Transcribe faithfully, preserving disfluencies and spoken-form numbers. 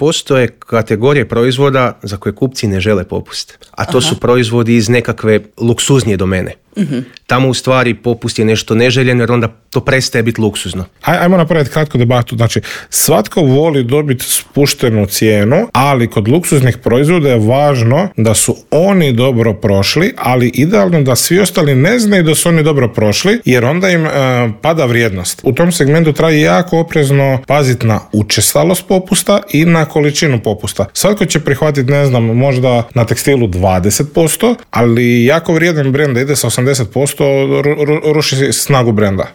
postoje kategorije proizvoda za koje kupci ne žele popust. A to Aha. su proizvodi iz nekakve luksuznije domene. Uh-huh. Tamo u stvari popust je nešto neželjeno jer onda to prestaje biti luksuzno. Aj, ajmo napraviti kratku debatu. Znači, svatko voli dobiti spuštenu cijenu, ali kod luksuznih proizvoda je važno da su oni dobro prošli, ali idealno da svi ostali ne znaju da su oni dobro prošli, jer onda im e, pada vrijednost. U tom segmentu treba jako oprezno paziti na učestalost popusta i na količinu popusta. Svatko će prihvatiti, ne znam, možda na tekstilu dvadeset posto, ali jako vrijedan brend da ide sa osamdeset posto ru, ru, ruši snagu brenda.